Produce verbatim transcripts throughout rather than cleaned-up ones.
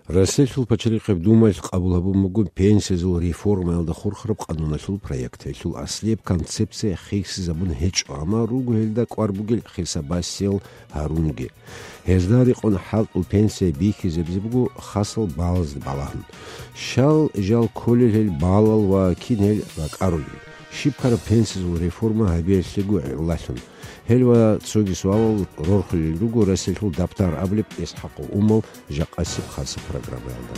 Россиялъул пачалихъеб Думаялъ къабул гьабун буго пенсиязул реформаялда хурхараб къануналъул проект. Гьелъул аслияб концепция хисизабун гьечӀо, амма руго гьелда кӀвар бугел хисабасиял гьарунги. Гьезда рекъон хӀалтӀул пенсия бихьизабизе буго хасал балазде балагьун. Щал жал кколел гьел балал ва кин гьел ракӀарулел? Щиб ккараб пенсиязул реформа гьабиялъего гӀиллалъун? Гьел ва цоги суалал рорхулел руго Россиялъул Даптар абулеб ИсхӀакъов Умал жакъасеб хасаб программаялда.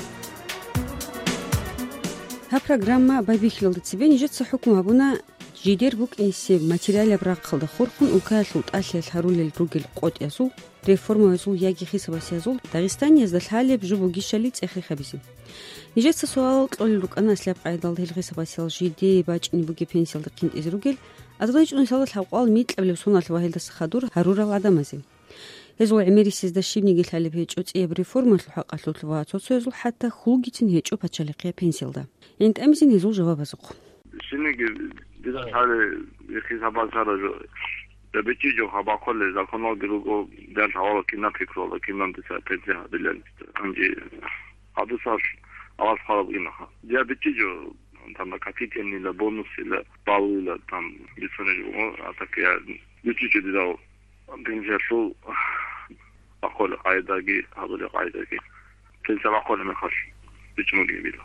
Гьаб программа байбихьилалда цебе нижеца хӀукму гьабуна жидер букӀинесеб материалаб рахъалда хурхун улкаялъул тӀалъиялъ гьарулел ругел къотӀиязул, реформаязул яги хисабасиязул Дагъистаниязда лъалеб жо бугищали цӀех-рех гьабизе. Нижеца суалал кьолел рукӀана аслияб къайдалда гьел хисабасиял жидее бачӀине бугеб пенсиялда хъинтӀизе ругел азарилчӀунусиялда лъабкъоялда микьабилеб соналъ ва гьелдаса хадур гьарурал гӀадамазе. Гьезул гӀемерисезда щибниги лъалеб гьечӀо цӀияб реформаялъул хӀакъалъулъ ва цо-цоязул хӀатта хьулгицин гьечӀо пачалихъияб пенсиялда. ГӀинтӀамизин гьезул жавабазухъ. Щибниги дида лъалеб хисабасара жо. Я бичӀчӀичӀо хабахъулел законалги руго, дер лъавала кинаб пикрула, кинаб дица пенсия гьабилан. Гьанже гьадусаш аваз хъвараб инаха. Я бичӀчӀичӀо, там, накопительныйла, бонусила, баллила, там, бицунел, о, а так я бичӀчӀичӀо дидал пенсиялъул бахъулел къайдаги, гьабулел къайдаги. Пенсия бахъулеб мехалъ бичӀчӀун бугебила.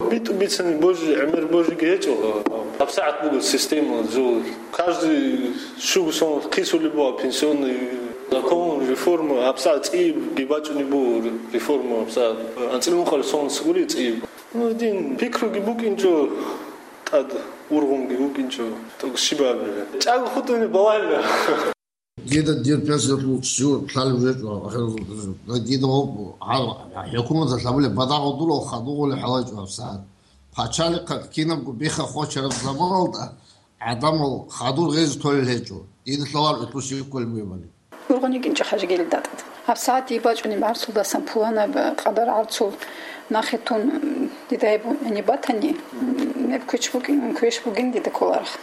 БитӀу бицани божи, гӀемер божиги гьечӀо. ГьабсагӀат буго система, жо. Каждый щуго сон хисулеб буго пенсионный закон, реформа, гьабсагӀат цӀиябги бачӀунеб буго реформа, гьабсагӀат. АнцӀила ункъабилеб сон гури цӀияб. Ну, дин пикруги букӀинчӀо, тӀад ургъунги вукӀинчӀо. ТӀокӀ щибабилеб? ЧӀаго хутӀунеб балагьила. Дида дир пенсиялъул щуго лъалеб гьечӀо, ахиралда дида гьаб-, гьаб-, хӀукуматалъ гьабулеб бадагӀал дур хадугъулеб хӀалайчӀо гьабсагӀат. Пачалихъ кинабго бихха-хочараб заманалда гӀадамал хадур гъезе толел гьечӀо. Дида лъаларо гьелъул щиб кколеб бугебали. Ургъун йикӀинчӀо хӀажигел датӀад. ГьабсагӀат дие бачӀунеб гӀарцулдасан пуланаб къадар гӀарцул нахъе тун дида гьеб гьениб батани, гьеб квеш букӀин, квеш бугин дида кколарах.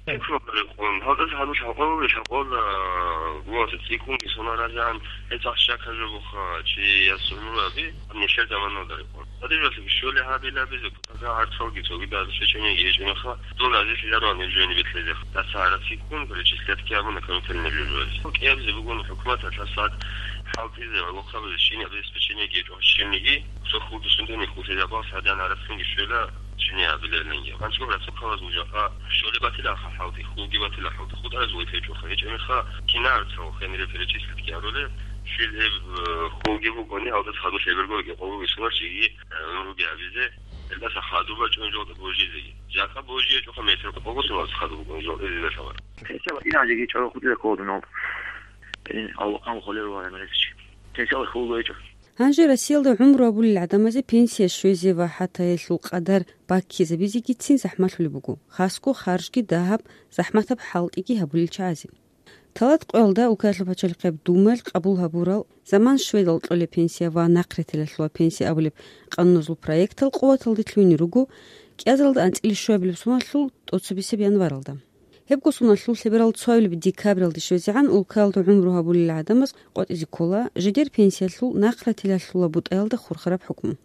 Гьалдаса гьанже лъабкъоялда, лъабкъоялда, а, гуроса цӀикӀкӀунги соналъ разигӀан, гьеб цӀакъ щакаб жо буха, чи ясулураби, нилъер заманалда рекъон. Гьадинаб щолеб гьабилеб буго, гӀарцалги цогидал сечениги гьечӀеб мехалъ, дун разилъилароан гьеб жо гьениб бекьизе. Даса гьарацги ккун, перечислять ккей абуна компьютерный жо-жо. КӀиабизе бугони хӀукуматалъ гьабсагӀат хӀалтӀизе ва лохъабизе щиб обеспечениеги гьечӀо щибниги, цо хурдусунтани хутӀизабал сагӀдан гӀарацинги щвела, Чине абилелинги. Гьанже гӀарцухъалазул жакъа щолеб батила ха хӀалтӀи, хьулги батила хӀалтӀи, хутӀараз вайтечӀоха. ГьечӀеб мехалъ, кинаб цо хенре перечислить ккарулеб, щил гьеб, э, хьулги букӀуни, гьалдаса хадур лъеберго гьебги къоло висула чиги, э, гӀумруги гьабизе, гьелдаса хадур бачӀун жолда божизеги. Жакъа божи гьечӀоха метр къого соналъ хадур букӀун жолда гьезда лъабар. ГьечӀеб инажиги чӀого хутӀизе кколдунал. Ин Аллагьан холер ва гӀемерисичи. ГьечӀеб хьулги гьечӀо. Гьанже Россиялда гӀумру гьабулел гӀадамазе пенсия щвезе ва хӀатта гьелъул къадар баккизабизегицин захӀмалъулеб буго, хасго харжги дагьаб, захӀматаб хӀалтӀиги гьабулел чагӀазе. Талат къоялда улкаялъул пачалихъеб Думаялъ къабул гьабурал заман щведал кьолеб пенсия ва нахъ ретелалъула пенсия абулеб къануназул проектал къуваталде лъугьине руго кӀиазаралда анцӀила щуабилеб соналъул тӀоцебесеб январалда. Гьебго соналъул лъеберал цоабилеб декабралде щвезегӀан улкаялда гӀумру гьабулел гӀадамаз къватӀизе ккола жидер пенсиялъул нахъ ратилалъула бутӀаялда хурхараб хӀукму.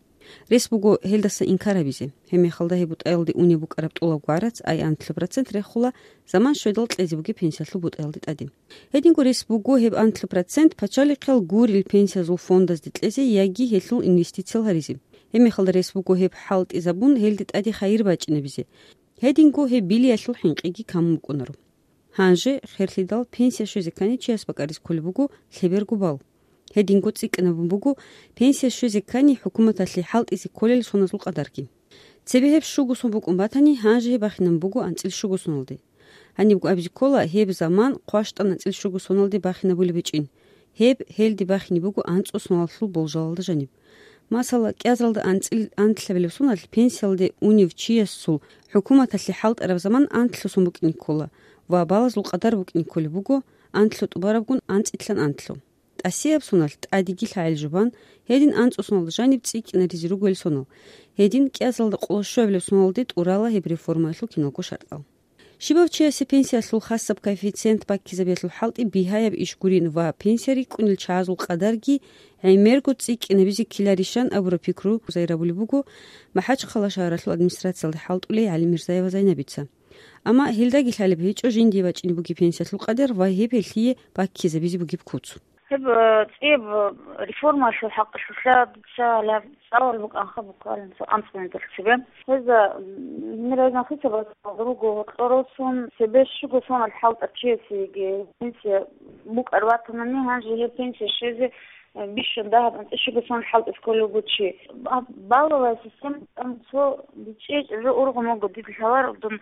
Рес буго гьелдаса инкар гьабизе. Гьеб мехалда гьеб бутӀаялде унеб букӀараб тӀолабго гӀарац ай анлъаб процент рехула заман щведал кьезе бугеб пенсиялъул бутӀаялде тӀаде. Гьединго рес буго гьеб анлъаб процент пачалихъал гурел пенсиязул фондазде кьезе яги гьелъул инвестициял гьаризе. Гьеб мехалда рес буго гьеб хӀалтӀизабун гьелде тӀаде хайир бачӀинабизе. Гьединго гьеб билиялъул хӀинкъиги камун букӀунаро. Гьанже, херлъидал, пенсия щвезе ккани чияс бакӀаризе кколеб буго лъеберго балл. Гьединго цӀикӀкӀинабун буго пенсия щвезе ккани хӀукуматалъе хӀалтӀизе кколел соназул къадарги. Цебе гьеб щуго сон букӀун батани, гьанже гьеб бахинабун буго анцӀила щуго соналде. Гьанибго абизе ккола, гьеб заман хъващтӀан анцӀила щуго соналде бахинабулеб гьечӀин. Гьеб гьелде бахине буго анцӀила соналъул болжалалда жаниб. Масала, кӀиазаралда анцӀил-, анлъабилеб соналъ пенсиялде унев чиясул хӀукуматалъе хӀалтӀараб заман анлъго сон букӀине ккола ва балазул къадар букӀине кколеб буго анлъго тӀубарабгун анцӀилъан анлъго. ТӀасияб соналъ тӀадеги лъагӀел жубан, гьедин анцӀго соналда жаниб цӀикӀкӀинаризе ругел сонал. Гьедин кӀиазаралда къоло щуабилеб соналде тӀурала гьеб реформаялъул киналго шартӀал. Щибав чиясе пенсиялъул хасаб коэффициент баккизабиялъул хӀалтӀи бигьаяб иш гурин ва пенсия рикӀкӀунел чагӀазул къадарги гӀемерго цӀикӀкӀинабизе ккеларищан абураб пикру зайрабулеб буго МахӀачхъала шагьаралъул администрациялда хӀалтӀулей ГӀалимирзаева Зайнабица. Амма гьелдаги лъалеб гьечӀо жиндие бачӀине бугеб пенсиялъул къадар ва гьеб гьелъие баккизабизе бугеб куц. Гьеб, э, цӀияб, э, реформалъул хӀакъалъулъа дица гьалаб цӀалал букӀанха буквально цо анцӀ минуталъ цебе. Гьезда, м, гьенир гьезда хисабазда руго гьоркьор росун, цебе щуго сонал хӀалтӀаб чиясеги пенсия букӀар батанани, гьанже гьеб пенсия щвезе, э, бищун дагьаб анцӀила щуго сонал хӀалтӀизе кколев вуго чи. А, балловая система, там цо бичӀчӀи-, чӀужу ургъун вуго, дида лъаларо дун,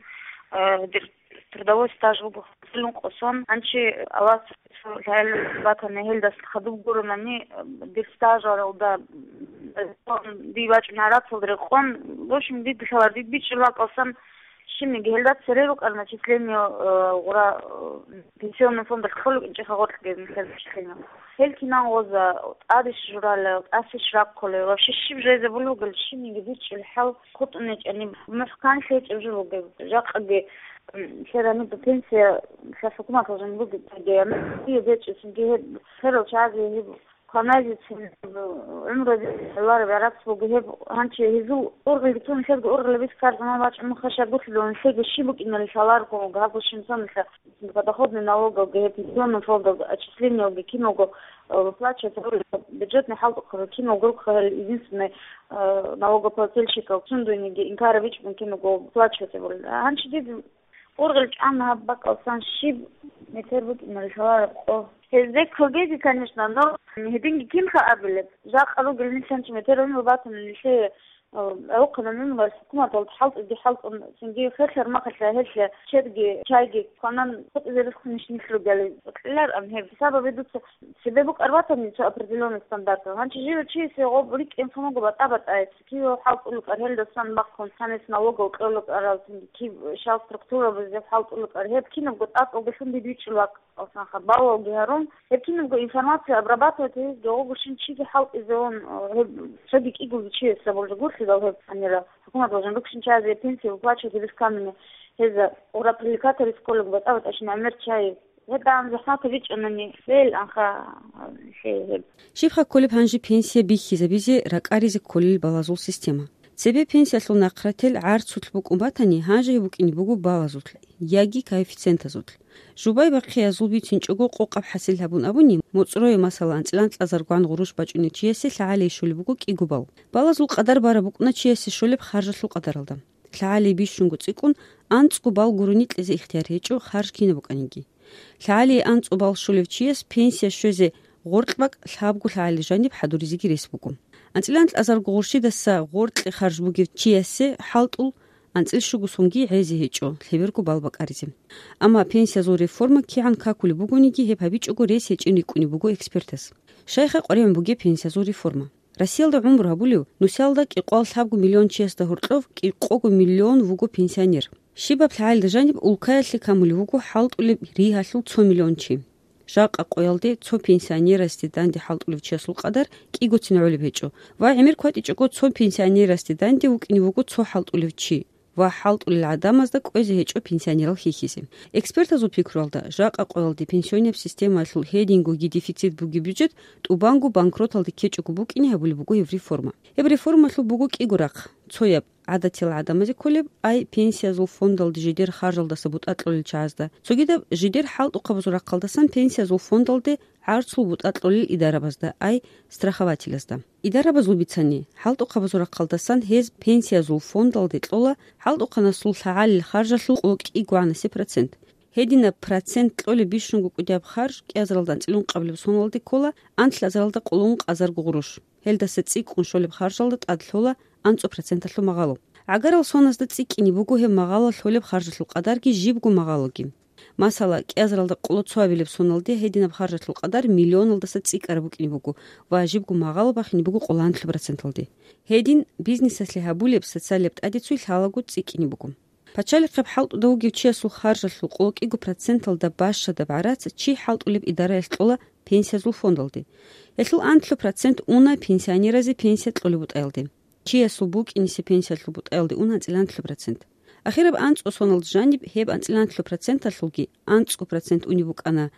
э, дир трудовой стаж вуго хӀалун къосон, гьанчи Аллагьас лъалеб батани, гьелдаса хадуб гуронани, дир стажаралда, ди бачӀун гӀарацалда рекъон, в общем, дида лъалар, дид бичӀчӀулеб бакӀалсан, щибниги гьелда цере рукӀарал начисление, э, гъура, э, пенсионный фондалъ кколеб кӀинчӀеха гъоркьги нилъер начисление. Гьел кинан гъоза, тӀадищ журалел, тӀасищ раккулел, вообще щиб жезе булеб бугел, щибниги бичӀчӀулеб хӀал хутӀун гьечӀани, мухӀкан лъечӀеб жо бугеб. Жакъаги, м, лъе гьаниб пенсия, лъа хӀукуматалъ жан бугеб, гьаниб гьечӀеб, цинги гьеб лъерал чагӀазе гьеб кваназецин гӀумруялъ гӀолареб гӀарац буго гьеб, гьанчи гьезул ургъелги цун, лъезги ургъел бихьарзаман бачӀун хъашагъулъулев, лъеги щиб букӀиналъ лъаларго, гьабго щинцаналъа подоходный налогалги, гьеб пенсионный фондалги, отчислениялги киналго, э, выплачивать гьабулеб, бюджетный хӀалтӀухъаби киналго рукӀа, гьел единственный, э, налогоплательщикал сундуйниги инкарабичӀун киналго выплачивать гьабулел. Гьанчи дида ургъел чӀана гьаб бакӀалсан щиб метер букӀиналъ лъалареб къо. Гьезде ккогеги, конечно, но гьединги кинха абилеб? Жакъа ругел нилъанчи метер гӀумру батани нилъее, э, гӀолохъанаб гӀумруялъ хӀукуматалда хӀалтӀиги хӀалтӀун, цинги херлъараб мехалъ гьелъие чедги, чайги кванан хутӀизе рехсунищ нилъ ругел? Кьеларан гьеб. Сабаби дуца цебе букӀар батани цо определённый стандарт. Гьанчи живе чиясе гъоб рикӀкӀинлъун вуго батӀа-батӀай, кив хӀалтӀулел кӀар гьелдасан бахъун, цанис налогал кьолел кӀарал, цинги кив щал структурабазде хӀалтӀулел кӀар, гьеб кинабго тӀатӀалдалъун дид вичӀчӀулеб бакӀалсанха, балалги гьарун, гьеб кинабго информация обрабатывать гьезги гъогущин чиги хӀалтӀизе ун, э, гьеб цоги кӀиго чияс абулеб гурлъидал гьеб гьанира хӀукуматалъ жан рукӀшин чиязе пенсия выплачивать гьеб камине гьеза ура привлекать гьарис кколеб батӀа-батӀайщин гӀемер чай. Гьеб дагьаб захӀматаб бичӀчӀунани, лъел анха, лъе гьеб. Щибха кколеб гьанже пенсия бихьизабизе ракӀаризе кколел балазул система? Цебе пенсиялъул нахърател гӀарцулъ букӀун батани, гьанже гьеб букӀине буго балазулъ яги коэффициентазулъ. Жубай-бахъиязул бицинчӀого къокъаб хӀасил гьабун абуни, моцӀрое, масала, анцӀила анкьазаргван гъурущ бачӀунев чиясе лъагӀалие щолеб буго кӀиго балл. Балазул къадар бараб букӀуна чиясе щолеб харжалъул къадаралда. ЛъагӀалие бищунго цӀикӀкӀун анцӀго балл гурони кьезе ихтияр гьечӀо, харж кинаб букӀаниги. ЛъагӀалие анцӀго балл щолев чияс пенсия щвезе гъоркь бакӀ лъабго лъагӀалил жаниб хӀадуризеги рес буго. АнцӀила анкьазарго гъурщидаса гъоркье харж бугев чиясе хӀалтӀул анцӀил щуго сонги гӀезе гьечӀо лъеберго балл бакӀаризе. Амма пенсиязул реформа кигӀан какулеб бугониги, гьеб гьабичӀого рес гьечӀин рикӀкӀунеб буго экспертаз. Щайха къваригӀун бугеб пенсиязул реформа? Россиялда гӀумру гьабулев, нусиялда кӀикъоялда лъабго миллион чиясда гьоркьов кӀикъого миллион вуго пенсионер. Щибаб лъагӀалда жаниб улкаялъе камулев вуго хӀалтӀулеб ригьалъул цо миллион чи. Жакъа къоялде цо пенсионерасде данде хӀалтӀулев чиясул къадар кӀигоцин гӀолеб гьечӀо ва гӀемер кватӀичӀого цо пенсионерасде данде вукӀине вуго цо хӀалтӀулев чи ва хӀалтӀулел гӀадамазда кӀвезе гьечӀо пенсионерал хьихьизе. Экспертазул пикруялда, жакъа къоялде пенсионияб системаялъул гьедингоги дефицит бугеб бюджет тӀубанго банкроталде ккечӀого букӀине гьабулеб буго гьеб реформа. Гьеб реформалъул буго кӀиго рахъ: цояб, гӀадатиял гӀадамазе кколеб, ай пенсиязул фондалде жидер харжалдаса бутӀа кьолел чагӀазда, цогидаб жидер хӀалтӀухъабазул рахъалдасан пенсиязул фондалде гӀарцул бутӀа кьолел идарабазда, ай страхователазда. Идарабазул бицани, хӀалтӀухъабазул рахъалдасан гьез пенсиязул фондалде кьола хӀалтӀухъанасул лъагӀалил харжалъул къо кӀигогӀанасеб процент. Гьединаб процент кьолеб бищунго кӀудияб харж кӀиазаралда анцӀила ункъабилеб соналде ккола анлъазаралда къоло ункъазарго гъурущ. Гьелдаса цӀикӀкӀун щолеб харжалда тӀад лъола анцӀго проценталъул магъало. ГӀагарал соназда цӀикӀкӀине буго гьеб магъало лъолеб харжалъул къадарги жибго магъалоги. Масала, кӀиазаралда къоло цоабилеб соналде гьединаб харжалъул къадар миллионалдаса цӀикӀкӀараб букӀине буго ва жибго магъало бахине буго къоло нилъ проценталде. Гьедин бизнесалъе гьабулеб социалияб тӀадеццой лъалаго цӀикӀкӀине буго. Пачалихъеб хӀалтӀуда вугев чиясул харжалъул къо кӀиго проценталда бащадаб гӀарац чи хӀалтӀулеб идараялъ кьола пенсиязул фондалде. Гьелъул анлъго процент уна пенсионеразе пенсия кьолеб бутӀаялде. Чиясул букӀинисе пенсиялъул бутӀаялде уна анцӀила анлъго процент. Ахираб анцӀго соналда жаниб гьеб анцӀила анлъго проценталъулги анцӀго процент унеб букӀана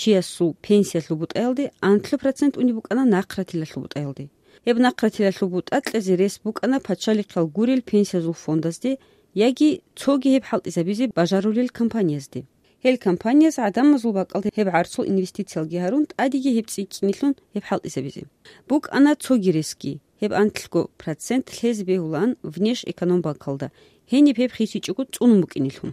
чиясул пенсиялъул бутӀаялде, анлъго процент унеб букӀана нахъратилалъул бутӀаялде. Гьеб нахъратилалъул бутӀа кьезе рес букӀана пачалихъал гурел пенсиязул фондазде яги цоги гьеб хӀалтӀизабизе бажарулел компаниязде. Гьел компанияз гӀадамазул бакӀалде гьеб гӀарцул инвестициялги гьарун, тӀадеги гьеб цӀикӀкӀинилъун гьеб хӀалтӀизабизе. БукӀана цоги ресги, гьеб анлъго процент лъезе бегьулаан Внешэкономбанкалда, гьениб гьеб хисичӀого цӀунун букӀинилъун.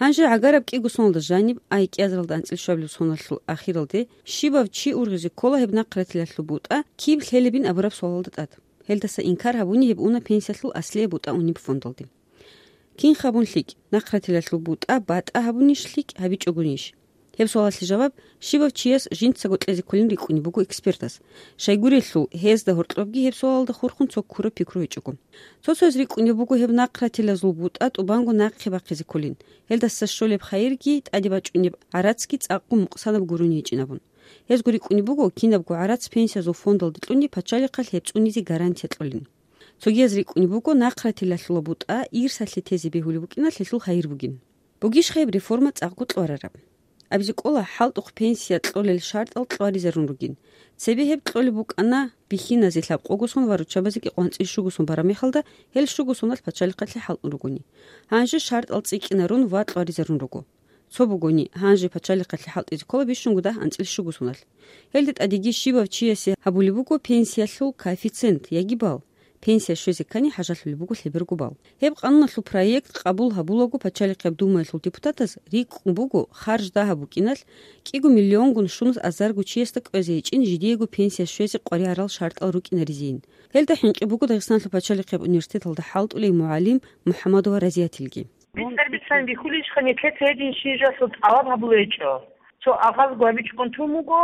Гьанже гӀагараб кӀиго соналда жаниб, ай кӀиазаралда анцӀила щуабилеб соналъул ахиралде, щибав чи ургъизе ккола гьеб нахъратилалъул бутӀа киб лъелебин абураб суалалда тӀад. Гьелдаса инкар гьабуни гьеб уна пенсиялъул аслияб бутӀа унеб фондалде. Кин хабун лъикӀ, нахъратилалъул бутӀа батӀа гьабунищ лъикӀ гьабичӀогунищ? Гьеб суалалъе жаваб щибав чияс жинцаго кьезе кколин рикӀкӀунеб буго экспертас. Щайгурелъул, гьезда гьоркьобги гьеб суалалда хурхун цо ккураб пикру гьечӀого. Цо-цояз рикӀкӀунеб буго гьеб нахъратилазул бутӀа тӀубанго нахъе бахъизе кколин, гьелдаса щолеб хайирги тӀаде бачӀунеб гӀарацги цӀакъго мукъсанаб гурони гьечӀин абун. Гьезго рикӀкӀунеб буго кинабго гӀарац пенсиязул фондалде кьуни пачалихъалъ гьеб цӀунизе гарантия кьолин. Цогияз рикӀкӀунеб буго нахъратилалъула бутӀа ирсалъе тезе бегьулеб букӀиналъ гьелъул хайир бугин. Бугищха гьеб реформа цӀакъго кьварараб? Абизе кӀола, хӀалтӀухъ пенсия кьолел шартӀал кьваризарун ругин. Цебе гьеб кьолеб букӀана бихьиназе лъабкъого сон ва руччабазе кӀикъоялда анцӀила щуго сон бараб мехалда, гьел щуго соналъ пачалихъалъе хӀалтӀун ругони. Гьанже шартӀал цӀикӀкӀинарун ва кьваризарун руго. Цо бугони, гьанже пачалихъалъе хӀалтӀизе ккола бищунго дагь анцӀила щуго соналъ. Гьелде тӀадеги щибав чиясе гьабулеб буго пенсиялъул коэффициент яги балл. Пенсия щвезе ккани хӀажалъулеб буго лъеберго балл. Гьеб къануналъул проект къабул гьабулаго пачалихъеб Думаялъул депутатаз рикӀкӀун буго харж дагьаб букӀиналъ кӀиго миллионгун щунус азарго чиясда кӀвезе гьечӀин жидеего пенсия щвезе къваригӀарал шартӀал рукӀинаризейин. Гьелда хӀинкъи буго Дагъистаналъул пачалихъеб университеталда хӀалтӀулей мугӀалим МухӀамадова Разиятилги. БицӀар-бицан бихьулищха, нилъеца гьедин щижалъул тӀалаб гьабулечӀо. Цо агъазго гьабичӀгун тун буго,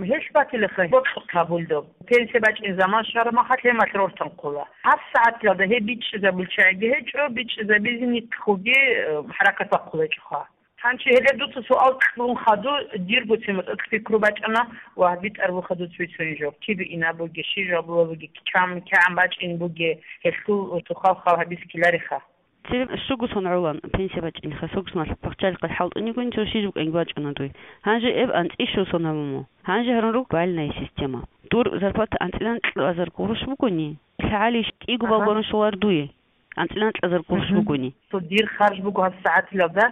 гьелъ батилаха бокьухъ гьабулдаб. Пенсия бачӀин заман щвараб махалъ гьемалъ рортанхъула. ГьабсагӀаталда гьеб бичӀчӀизабулчагӀиги гьечӀо, бичӀчӀизабизе нилъгоги, э, хӀаракат бахъулечӀоха. Гьанчи гьеле дуца суал кьун хадур, дирго цематӀа пикру бачӀана ва битӀарабуха дуца бицунеб жо. Кибе инаб бугеб, щиб жо бугеб, кигӀан, кигӀан бачӀин бугеб, гьелъул тухал хал гьабизе ккелареха. Цебе щуго сон гӀолан пенсия бачӀинеха, щуго соналъ пачалихъалъ хӀалтӀун йигони, цо щиб букӀанги бачӀуна дуе. Гьанже эб анцӀила щуго сон гьабун буго. Гьанже гьарун руго бальная система. Дур зарплата анцӀила анкьа азар гъурущ бугони, лъагӀалищ кӀиго балл Ага. гъурущ щолар дуе? АнцӀила анкьа азар гъурущ Мгм. бугони. Цо дир харж буго гьабсагӀатилалда,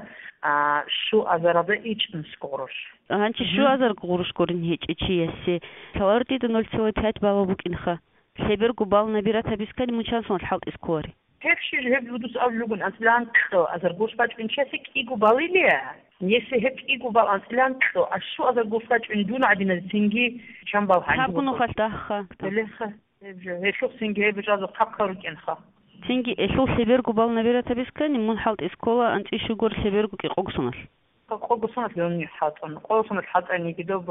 а, щуазаралда ичӀнусго гъурущ. Гьанчи Мгм. щуазар гъурущ гурин гьечӀев чиясе лъаларо дида ноль целых пять балл букӀинха. Лъеберго балл набирать гьабизе ккани мун чан соналъ хӀалтӀизе кколари? Гьеб щиж, гьеб будус абулеб бугони, анцӀила анкьа азар гъурущ бачӀунчиясе кӀиго баллилия? Если гьеб кӀиго балл анцӀила анкьа, а щуазар гъурущ бачӀуни дун гӀадиназецинги чан балл гьаниб Гьаб буго? Гунухалъ дагьха. Гьелеха, гьеб жо, гьелъухъ цинги гьеб жо хъахъа рукӀинха. Цинги элъул лъеберго балл набирать гьабизе ккани, мун хӀалтӀизе ккола анцӀила щуго лъеберго кӀикъого соналъ. КӀикъого соналъ гьунни хӀалтӀун. КӀикъого соналъ хӀалтӀаниги доб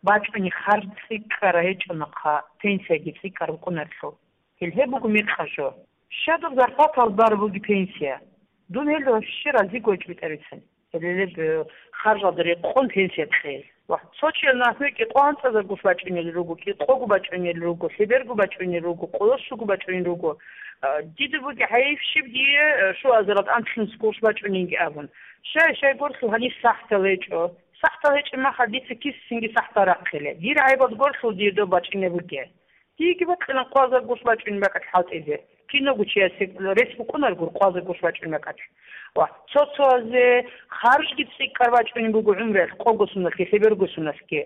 бачӀуни харж цӀикӀкӀара гьечӀо нахъа, пенсияги цӀикӀкӀар букӀунарелъул. Гьел гьеб буго мекъа жо. Щадаб зарплатал бар буги пенсия. Дун гьел вообще разиго гьечӀо битӀарицин. Гьеле, э, харжалда рекъон пенсия кьел. Ва цо чияс нахъе кӀикъоялда анцӀазар гъурущ бачӀунел руго, кӀикъого бачӀунел руго, лъеберго бачӀунел руго, къоло щуго бачӀунел руго. А, дида буги гӀайиб щиб дие, э, щуазаралда анцӀила гъурущ бачӀунинги абун. Щай, щайгурелъул гьаниб сахӀтал гьечӀо. СахӀтал гьечӀеб мехалъ дица кисинги сахӀтал рахъиле. Дир гӀайибалда гурелъул дие доб бачӀунеб бугеб. Диеги бокьилаан къоазар гъурущ бачӀунеб бакӀалъ хӀалтӀизе. Киного чиясе рес букӀунарого къоазар гъурущ бачӀунеб бакӀалъ. Ва цо-цоязе харжги цӀикӀкӀар бачӀунеб буго гӀумруялъ, кӀикъого соналъги, лъеберго соналъги.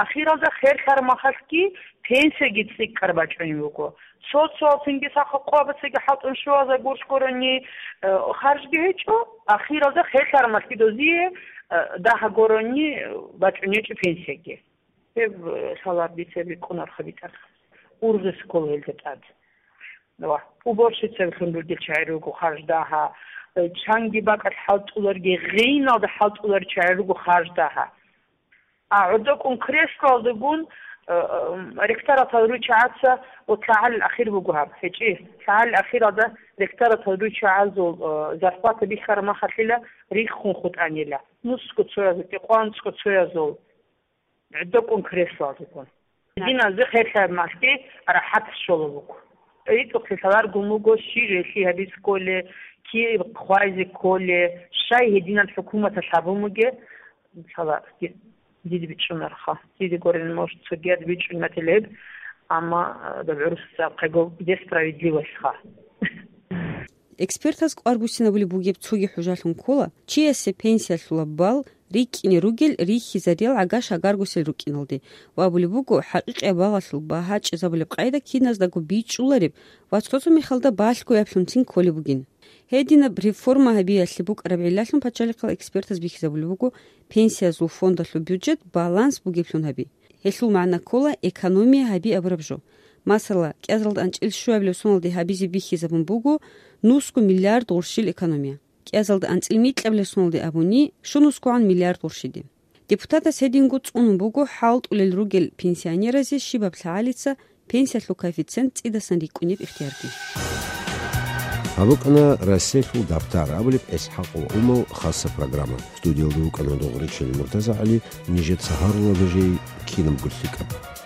Ахиралда херлъараб махалъги пенсияги цӀикӀкӀар бачӀунеб буго. Цо-цоял цинги сахаб къоабацаги хӀалтӀун щуазар гъурущ гурони, э, харжги гьечӀо, ахиралда херлъараб махалъги дозие, э, дагьа гурони, э, бачӀунеб гьечӀо пенсияги. Гьеб, э, лъалар дица бикӀунарха битӀарха. Ургъизе ккола гьелда тӀад. Ва уборщицаблъун ругел чагӀи руго харж дагьа, э, чанги бакӀалъ хӀалтӀуларги, гъиналда хӀалтӀуларел чагӀи руго харж дагьа. А гӀодокӀун креслоялдагун, э, э, ректоратал ручагӀаца ва лъагӀалил ахир буго гьаб. ГьечӀи, лъагӀалил ахиралда ректоратал ручагӀазул, э, зарплата бихьараб махалъила риххун хутӀанила. Нусго цоязул, кӀикъоялда анцӀго цоязул. ГӀодокӀун креслоялдагун. Диназе херлъараб махалъги рахӀат щола буго. ритӀухълъи лъаларгун буго, щиб гьелъи гьабиз кколе, киб хъвайзе кколе, щай гьединал хӀукуматалъ гьабун буге, лъала, ди-, дида бичӀчӀунарха. Дида гурин, может, цогият бичӀчӀунатилеб, амма, а, доб гӀурусаз абхъего, где справедливость-ха. Экспертаз кӀвар буссинабулеб бугеб цоги хӀужалъун ккола, чиясе пенсиялъула балл рикӀкӀине ругел рихьизариял гӀага-шагаргосел рукӀиналде ва абулеб буго, хӀакъикъияб балалъул багьа чӀезабулеб къайда киназдаго бичӀчӀулареб ва цо-цо мехалда балъгояблъунцин кколеб бугин. Гьединаб реформа гьабиялъе букӀараб гӀиллалъун пачалихъал экспертаз бихьизабулеб буго пенсиязул фондалъул бюджет баланс бугеблъун гьаби. Гьелъул магӀна ккола экономия гьаби абураб жо. Масала, кӀиазалда анцӀил щуабилеб соналде гьабизе бихьизабун буго нусго миллиард гъурщил экономия. КӀиазалда анцӀил микьабилеб соналде абуни, щунусгогӀан миллиард гъурщиде. Депутатас гьединго цӀунун буго хӀалтӀулел ругел пенсионеразе щибаб лъагӀалица пенсиялъул коэффициент цӀидасан рикӀкӀунеб ихтиярги. Гьаб букӀана «Расселъул дабтар» абулеб ИсхӀакъул умал хасса программа. Студиялда вукӀана Дугъричил МуртазагӀали, нижеца гьарула нужее кинабго лъикӀаб.